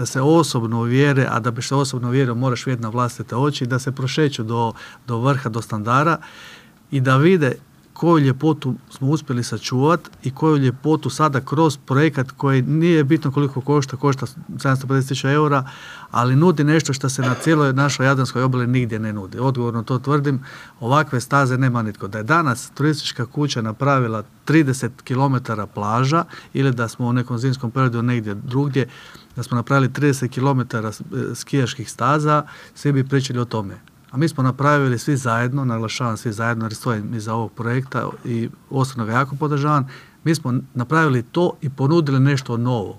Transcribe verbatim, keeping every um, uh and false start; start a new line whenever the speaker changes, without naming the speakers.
da se osobno uvjere, a da bi se osobno uvjerio moraš vidjeti na vlastite oči, da se prošeću do, do vrha, do standara i da vide koju ljepotu smo uspjeli sačuvati i koju ljepotu sada kroz projekat koji nije bitno koliko košta, košta sedamsto pedeset tisuća eura, ali nudi nešto što se na cijeloj našoj Jadranskoj obali nigdje ne nudi. Odgovorno to tvrdim, ovakve staze nema nitko. Da je danas turistička kuća napravila trideset kilometara plaža ili da smo u nekom zimskom periodu negdje drugdje, da smo napravili trideset kilometara skijaških staza, svi bi pričali o tome. A mi smo napravili svi zajedno, naglašavam svi zajedno jer stojim iza ovog projekta i osobno ga jako podržavam, mi smo napravili to i ponudili nešto novo.